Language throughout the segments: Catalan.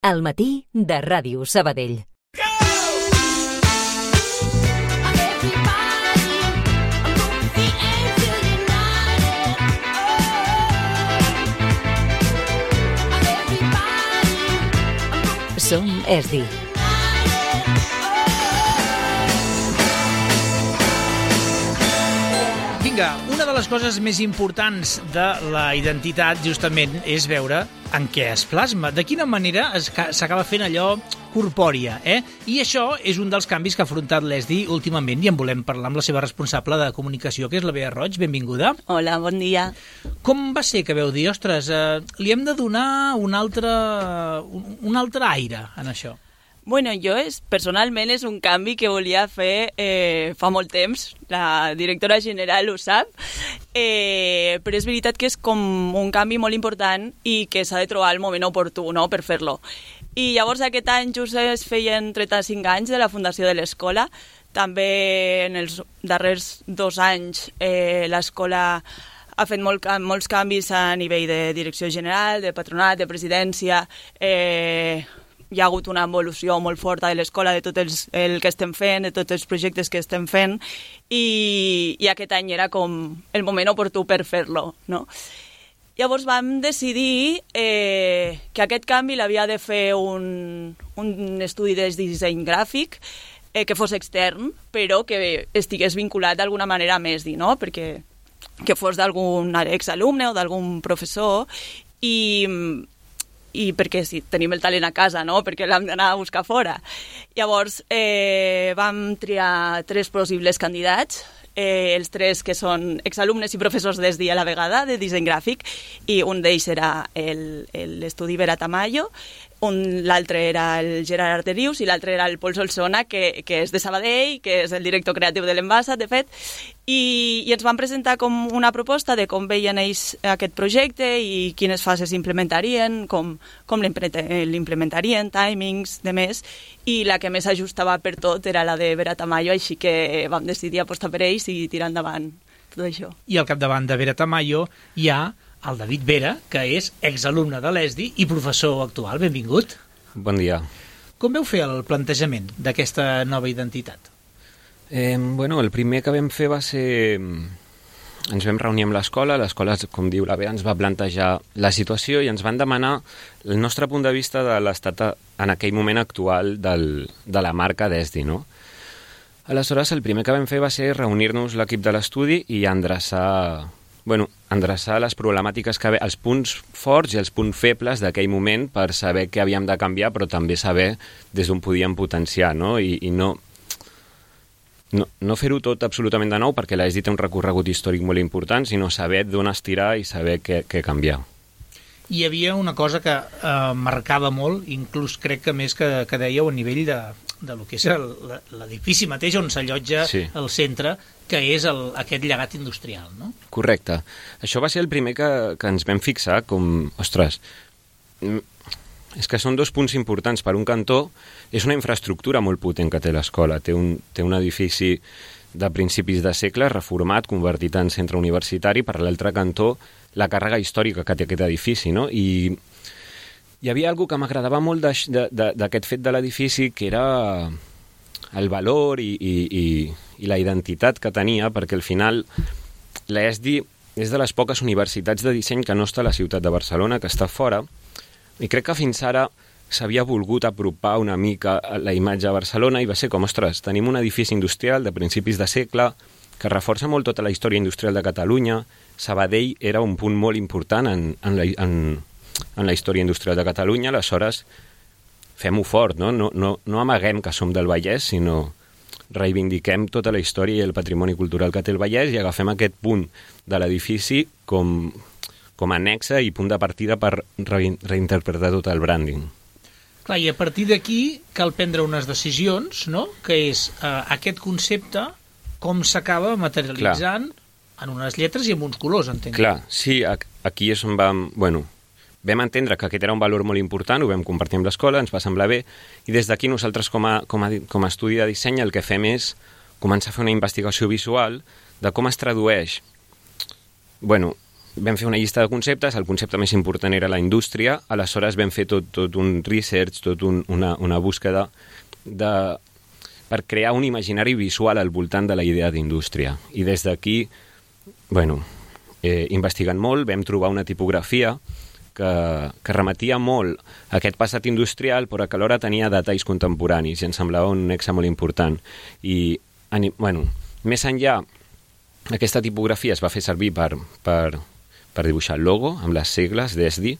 Al matí de Ràdio Sabadell. Som ESDI. Vinga, una de les coses més importants de la identitat justament és veure en què es plasma, de quina manera s'acaba fent allò corpòria, I això és un dels canvis que ha afrontat l'ESDI últimament i en volem parlar amb la seva responsable de comunicació, que és la Bea Roig. Benvinguda. Hola, bon dia. Com va ser que veu dir, ostres, li hem de donar un altre aire en això? Bueno, personalment és un canvi que volia fer fa molt temps, la directora general ho sap, però és veritat que és com un canvi molt important i que s'ha de trobar el moment oportú, no?, per fer-lo. I llavors aquest any just es feien 35 anys de la fundació de l'escola. També en els darrers 2 anys l'escola ha fet molts canvis a nivell de direcció general, de patronat, de presidència. Hi ha hagut una evolució molt forta de l'escola, de tot el que estem fent, de tots els projectes que estem fent, i aquest any era com el moment oportú per fer-lo, no? Llavors vam decidir que aquest canvi l'havia de fer un estudi de disseny gràfic que fos extern, però que estigués vinculat d'alguna manera a ESDI, no? Perquè que fos d'algun exalumne o d'algun professor i perquè sí, tenim el talent a casa, no?, perquè l'hem d'anar a buscar fora. Llavors vam triar 3 possibles candidats, els 3 que són exalumnes i professors d'ESDI a la vegada, de disseny gràfic, i un d'ells era l'estudi Vera Tamayo, l'altre era el Gerard Arderius i l'altre era el Pol Solsona, que és de Sabadell, que és el director creatiu de l'Envasa, de fet, i ens van presentar com una proposta de com veien ells aquest projecte i quines fases implementarien, com l'implementarien, timings, de més, i la que més ajustava per tot era la de Vera Tamayo, així que vam decidir apostar per ells i tirar endavant tot això. I al capdavant de Vera Tamayo hi ha el David Vera, que és exalumne de l'ESDI i professor actual. Benvingut. Bon dia. Com veu fer el plantejament d'aquesta nova identitat? Bueno, el primer que vam fer va ser... Ens vam reunir amb l'escola, com diu la Bea, ens va plantejar la situació i ens van demanar el nostre punt de vista de l'estat en aquell moment actual de la marca d'ESDI, no? Aleshores, el primer que vam fer va ser reunir-nos l'equip de l'estudi i endreçar les problemàtiques que els punts forts i els punts febles d'aquell moment per saber què havíem de canviar, però també saber des d'on podíem potenciar, no? I no fer-ho tot absolutament de nou, perquè l'ESDI té un recorregut històric molt important, sinó saber d'on estirar i saber què canviar. Hi havia una cosa que marcava molt, inclús crec que més que dèieu a nivell de lo que és l'edifici mateix on s'allotja el centre, que és aquest llegat industrial, no? Correcte. Això va ser el primer que ens vam fixar com, ostres, és que són 2 punts importants. Per un cantó, és una infraestructura molt potent que té l'escola. Té un edifici de principis de segle reformat, convertit en centre universitari. Per l'altre cantó, la càrrega històrica que té aquest edifici, no? I hi havia alguna que m'agradava molt d'aquest fet de l'edifici, que era el valor i la identitat que tenia, perquè al final l'ESDI és de les poques universitats de disseny que no està a la ciutat de Barcelona, que està fora, i crec que fins ara s'havia volgut apropar una mica la imatge a Barcelona i va ser com, ostres, tenim un edifici industrial de principis de segle que reforça molt tota la història industrial de Catalunya. Sabadell era un punt molt important en la història industrial de Catalunya, aleshores fem-ho fort, no? No amaguem que som del Vallès, sinó reivindiquem tota la història i el patrimoni cultural que té el Vallès i agafem aquest punt de l'edifici com a annexa i punt de partida per reinterpretar tot el branding. Clar, i a partir d'aquí cal prendre unes decisions, no?, que és aquest concepte com s'acaba materialitzant en unes lletres i en uns colors, entenc. Clar, sí, aquí és on vam entendre que aquest era un valor molt important, ho vam compartir amb l'escola, ens va semblar bé, i des d'aquí nosaltres com a estudi de disseny el que fem és començar a fer una investigació visual de com es tradueix vam fer una llista de conceptes, el concepte més important era la indústria, aleshores vam fer tot un research, una búsqueda per crear un imaginari visual al voltant de la idea d'indústria. I des d'aquí, investigant molt, vam trobar una tipografia que remetia molt a aquest passat industrial, però que alhora tenia detalls contemporanis i ens semblava un nexe molt important. I, més enllà, aquesta tipografia es va fer servir per dibuixar el logo, amb les sigles d'ESDI,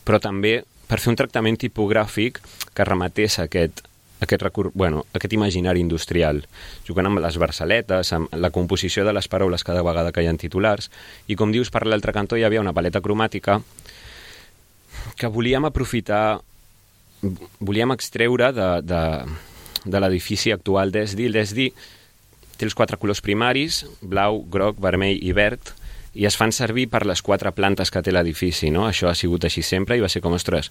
però també per fer un tractament tipogràfic que remetés a aquest imaginari industrial, jugant amb les versaletes, amb la composició de les paraules cada vegada que hi ha titulars, i com dius, per l'altre cantó hi havia una paleta cromàtica que volíem aprofitar, volíem extreure de l'edifici actual d'ESDI. L'ESDI té els 4 colors primaris, blau, groc, vermell i verd, i es fan servir per les 4 plantes que té l'edifici, no? Això ha sigut així sempre i va ser com, ostres,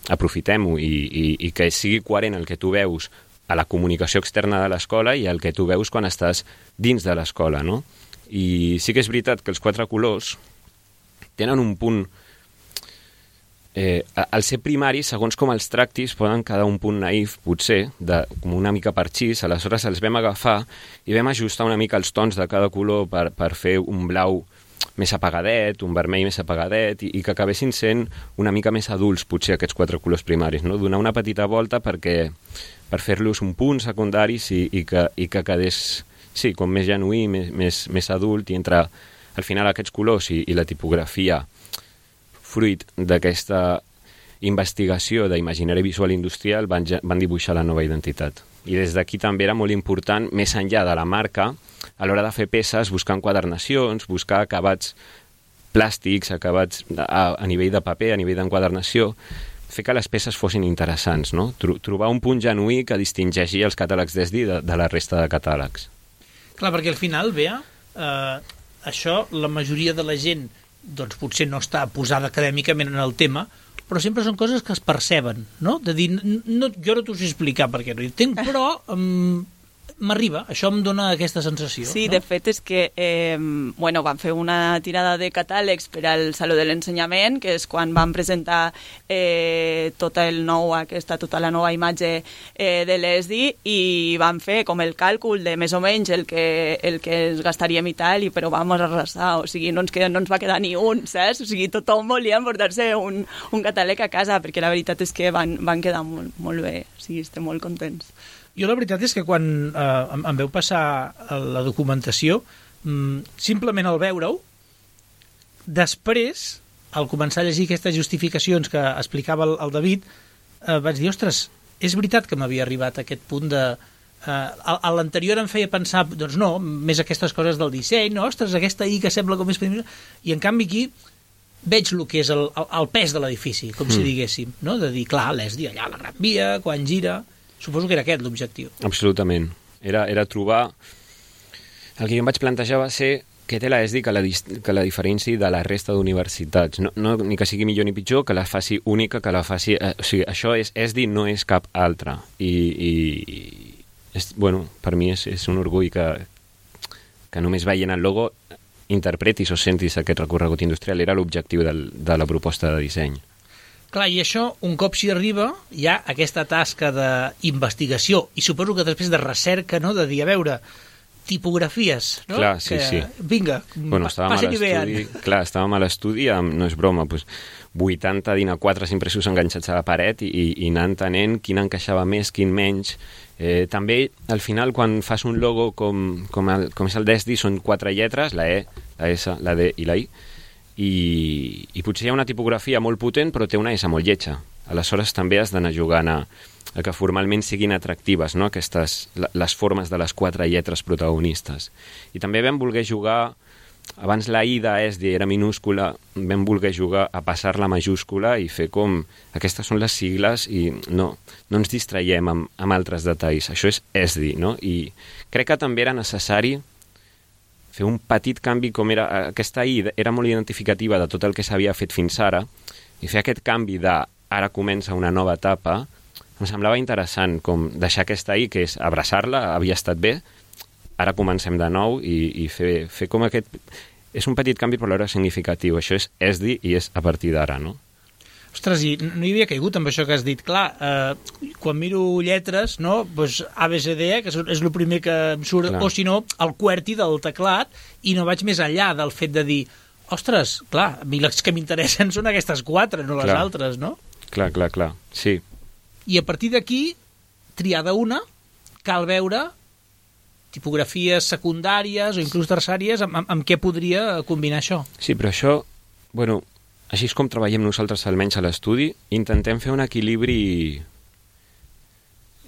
aprofitem-ho i que sigui coherent el que tu veus a la comunicació externa de l'escola i el que tu veus quan estàs dins de l'escola, no? I sí que és veritat que els 4 colors tenen un punt... al ser primari, segons com els tractis, poden quedar un punt naïf, potser, com una mica parxís, aleshores els vam agafar i vam ajustar una mica els tons de cada color per fer un blau més apagadet, un vermell més apagadet, i que acabessin sent una mica més adults, potser, aquests 4 colors primaris, no? Donar una petita volta per fer-los un punt secundaris i que quedés, sí, com més genuí, més adult, i entre, al final, aquests colors i la tipografia, fruit d'aquesta investigació d'imaginari visual industrial, van dibuixar la nova identitat. I des d'aquí també era molt important, més enllà de la marca, a l'hora de fer peces, buscar enquadernacions, buscar acabats plàstics, acabats a nivell de paper, a nivell d'enquadernació, fer que les peces fossin interessants, no? Trobar un punt genuí que distingeixi els catàlegs d'ESDI de la resta de catàlegs. Clar, perquè al final, Bea, això la majoria de la gent doncs potser no està posada acadèmicament en el tema, però sempre són coses que es perceben, no? De dir, jo no t'ho sé explicar perquè no hi entenc, però m'arriba, això em dona aquesta sensació. Sí, no? De fet és que van fer una tirada de catàlegs per al Saló de l'Ensenyament, que és quan van presentar tota la nova imatge de l'ESDI, i van fer com el càlcul de més o menys el que es gastaríem i tal, però vam arrasar, o sigui, no ens va quedar ni un, saps? O sigui, tothom volia emportar-se un catàleg a casa, perquè la veritat és que van quedar molt, molt bé, o sigui, estem molt contents. Jo la veritat és que quan em veu passar la documentació, simplement al veure-ho, després, al començar a llegir aquestes justificacions que explicava el David, vaig dir, ostres, és veritat que m'havia arribat a aquest punt de... A l'anterior em feia pensar, doncs no, més aquestes coses del disseny, no, ostres, aquesta I que sembla com més... I en canvi aquí veig el que és el pes de l'edifici, com si diguéssim, no? De dir, clar, l'ESDI allà a la Gran Via, quan gira... Suposo que era aquest l'objectiu. Absolutament. Era trobar... El que jo em vaig plantejar va ser què té l'ESDI que la diferenciï de la resta d'universitats. No, ni que sigui millor ni pitjor, que la faci única, que la faci... o sigui, això és ESDI, no és cap altra. Per mi és un orgull que només veient el logo interpretis o sentis aquest recorregut industrial. Era l'objectiu de la proposta de disseny. Clar, i això, un cop s'hi arriba, hi ha aquesta tasca d'investigació i suposo que després de recerca, no?, de dir, a veure, tipografies, no? Clar, sí, sí. Vinga, passi i vean. Clar, estàvem a l'estudi, no és broma, 80 DIN-A4 impressos enganxats a la paret i anar entenent quin encaixava més, quin menys. També, al final, quan fas un logo com és el d'ESDI, són 4 lletres, la E, la S, la D i la I, i potser hi ha una tipografia molt potent però té una S molt lletja. Aleshores també has d'anar jugant a que formalment siguin atractives, no? Les formes de les 4 lletres protagonistes. I també vam voler jugar, abans la I d'ESDI era minúscula, vam voler jugar a passar la majúscula i fer com aquestes són les sigles i no ens distraiem amb altres detalls. Això és ESDI, no? I crec que també era necessari fer un petit canvi, com era aquesta I era molt identificativa de tot el que s'havia fet fins ara, i fer aquest canvi de ara comença una nova etapa, em semblava interessant com deixar aquesta I, que és abraçar-la, havia estat bé, ara comencem de nou i fer com aquest... és un petit canvi però alhora significatiu. Això és ESDI i és a partir d'ara, no? Ostres, i no hi havia caigut amb això que has dit. Clar, quan miro lletres, no? Pues ABCD, que és el primer que em surt, Clar. o si no, el QWERTY del teclat, i no vaig més enllà del fet de dir, ostres, clar, a mi les que m'interessen són aquestes 4, no les Clar. altres, no? Clar, sí. I a partir d'aquí, triada una, cal veure tipografies secundàries o inclús terciàries, amb què podria combinar això? Sí, però això, bueno, així és com treballem nosaltres almenys a l'estudi, intentem fer un equilibri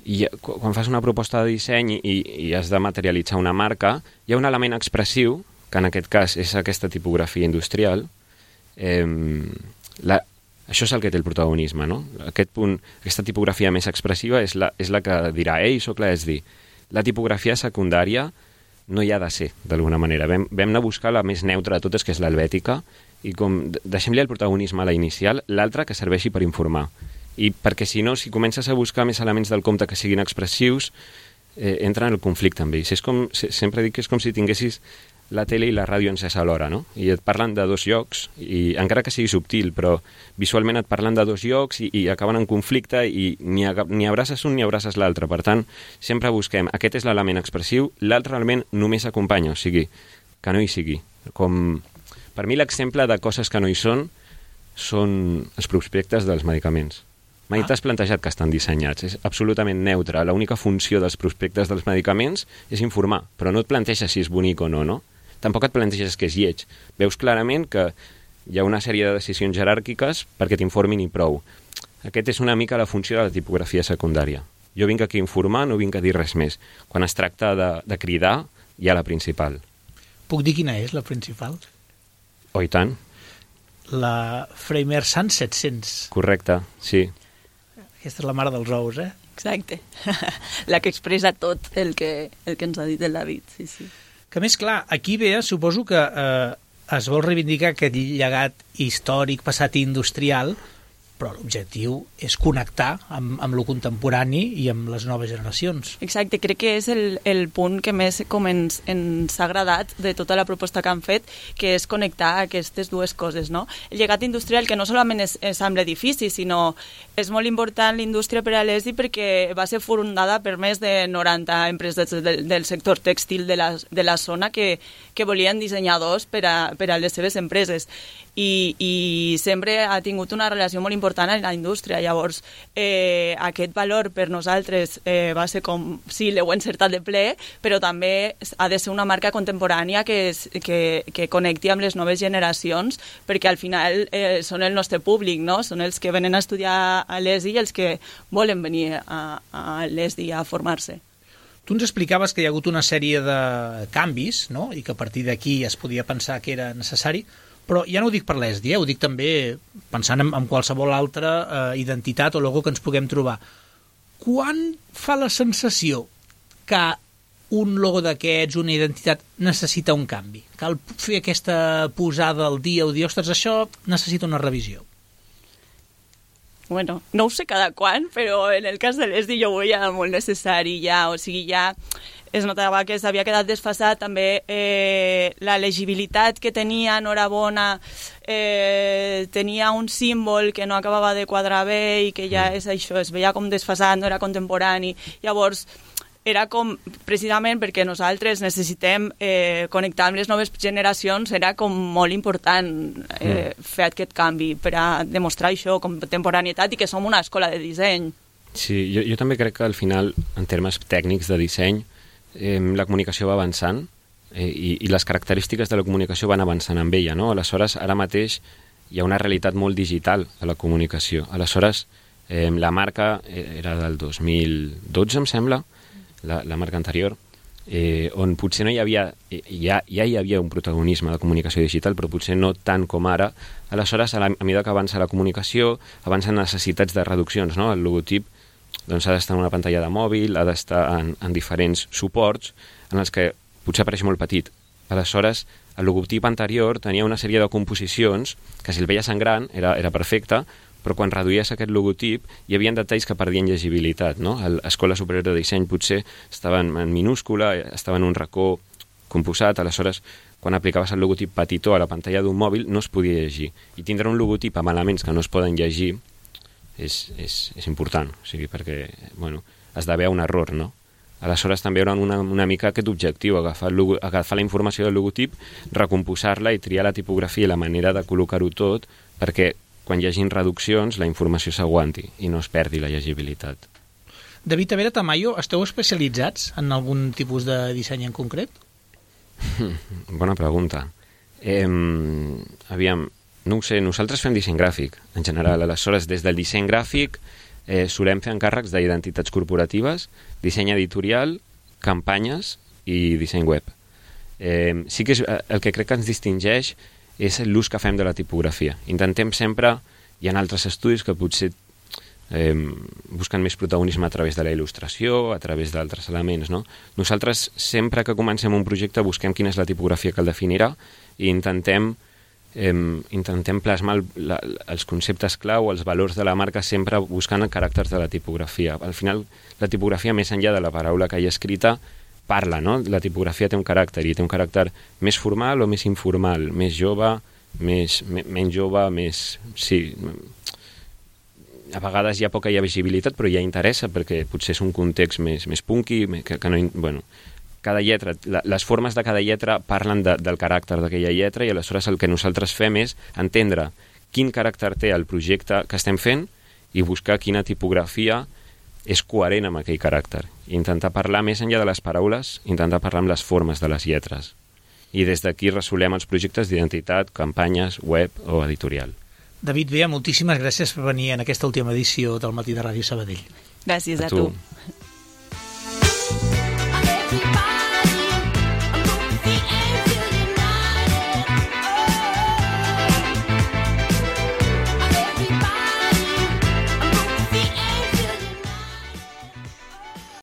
i quan fas una proposta de disseny i has de materialitzar una marca, hi ha un element expressiu, que en aquest cas és aquesta tipografia industrial, això és el que té el protagonisme, no? Aquest punt, aquesta tipografia més expressiva és la que dirà, ei, soc la ESDI. La tipografia secundària no hi ha de ser, d'alguna manera. Vam anar a buscar la més neutra de totes, que és l'helvètica, i com deixem-li el protagonisme a la inicial, l'altra que serveixi per informar. I perquè si no, si comences a buscar més elements del compte que siguin expressius, entra en el conflicte amb ells. Sempre dic que és com si tinguessis la tele i la ràdio encès alhora, no? I et parlen de dos llocs, i encara que sigui subtil, però visualment et parlen de dos llocs i acaben en conflicte i ni abraces un ni abraces l'altre. Per tant, sempre busquem, aquest és l'element expressiu, l'altre element només acompanya, o sigui, que no hi sigui. Per mi l'exemple de coses que no hi són els prospectes dels medicaments. Mai t'has plantejat que estan dissenyats, és absolutament neutre. L'única funció dels prospectes dels medicaments és informar, però no et planteges si és bonic o no, no? Tampoc et planteges que és lleig. Veus clarament que hi ha una sèrie de decisions jeràrquiques perquè t'informin i prou. Aquest és una mica la funció de la tipografia secundària. Jo vinc aquí a informar, no vinc a dir res més. Quan es tracta de cridar, hi ha la principal. Puc dir quina és la principal? Oh, i tant. La Framer Sun 700. Correcte, sí. Aquesta és la mare dels ous, eh? Exacte. La que expressa tot el que ens ha dit el David, sí, sí. Que més clar, aquí ve, suposo que es vol reivindicar aquest llegat històric, passat i industrial, però l'objectiu és connectar amb lo contemporani i amb les noves generacions. Exacte, crec que és el punt que més com ens ha agradat de tota la proposta que han fet, que és connectar aquestes dues coses, no? El llegat industrial, que no solament és amb l'edifici, sinó és molt important l'indústria per a l'ESDI perquè va ser fundada per més de 90 empreses del sector tèxtil de la zona que volien dissenyadors per a les seves empreses. I sempre ha tingut una relació molt important amb la indústria. Llavors, aquest valor per nosaltres va ser com, sí, l'heu encertat de ple, però també ha de ser una marca contemporània que connecti amb les noves generacions, perquè al final són el nostre públic, no? Són els que venen a estudiar a l'ESI i els que volen venir a l'ESI a formar-se. Tu ens explicaves que hi ha hagut una sèrie de canvis, no? I que a partir d'aquí es podia pensar que era necessari, però ja no ho dic per l'ESDI, ho dic també pensant en qualsevol altra identitat o logo que ens puguem trobar. Quan fa la sensació que un logo d'aquests, una identitat, necessita un canvi? Cal fer aquesta posada al dia o dir, ostres, això necessita una revisió? Bueno, no ho sé cada quan, però en el cas de l'ESDI jo ho veia molt necessari ja, o sigui, ja es notava que s'havia quedat desfasat també la legibilitat que tenia Enhorabona, tenia un símbol que no acabava de quadrar bé i que ja és això, es veia com desfasat, no era contemporani. Llavors, era com, precisament perquè nosaltres necessitem connectar amb les noves generacions, era com molt important fer aquest canvi per a demostrar això, contemporaneitat, i que som una escola de disseny. Sí, jo també crec que al final, en termes tècnics de disseny, la comunicació va avançant i les característiques de la comunicació van avançant amb ella, no? Aleshores, ara mateix hi ha una realitat molt digital a la comunicació. Aleshores, la marca era del 2012, em sembla, la marca anterior, on potser no hi havia, ja hi havia un protagonisme de comunicació digital, però potser no tant com ara. Aleshores, a mesura que avança la comunicació, avancen necessitats de reduccions, no? El logotip doncs ha d'estar en una pantalla de mòbil, ha d'estar en diferents suports en els que potser apareix molt petit. Aleshores, el logotip anterior tenia una sèrie de composicions que si el veies en gran era perfecte, però quan reduïes aquest logotip hi havia detalls que perdien llegibilitat, no? L'Escola Superior de Disseny potser estava en minúscula, estava en un racó composat, aleshores quan aplicaves el logotip petitó a la pantalla d'un mòbil no es podia llegir. I tindre un logotip amb elements que no es poden llegir és important, o sigui, perquè has d'haver un error, no? Aleshores també hi haurà una mica aquest objectiu, agafar la informació del logotip, recomposar-la i triar la tipografia i la manera de col·locar-ho tot perquè quan hi hagin reduccions la informació s'aguanti i no es perdi la llegibilitat. David Tavera, Tamayo, esteu especialitzats en algun tipus de disseny en concret? Bona pregunta. Aviam, no ho sé, nosaltres fem disseny gràfic, en general. Aleshores, des del disseny gràfic solem fer encàrrecs d'identitats corporatives, disseny editorial, campanyes i disseny web. Sí que el que crec que ens distingeix és l'ús que fem de la tipografia. Intentem sempre, hi ha altres estudis que potser busquen més protagonisme a través de la il·lustració, a través d'altres elements, no? Nosaltres, sempre que comencem un projecte, busquem quina és la tipografia que el definirà i intentem plasmar els conceptes clau, els valors de la marca, sempre buscant caràcters de la tipografia. Al final, la tipografia, més enllà de la paraula que hi ha escrita, parla, no? La tipografia té un caràcter, i té un caràcter més formal o més informal, més jove, menys jove, més... Sí, a vegades hi ha poca llegibilitat, però ja interessa perquè potser és un context més punky, que no... Bueno, cada lletra, les formes de cada lletra parlen del caràcter d'aquella lletra i aleshores el que nosaltres fem és entendre quin caràcter té el projecte que estem fent i buscar quina tipografia és coherent amb aquell caràcter. I intentar parlar més enllà de les paraules, intentar parlar amb les formes de les lletres. I des d'aquí resolem els projectes d'identitat, campanyes, web o editorial. David Bea, moltíssimes gràcies per venir en aquesta última edició del Matí de Ràdio Sabadell. Gràcies a tu.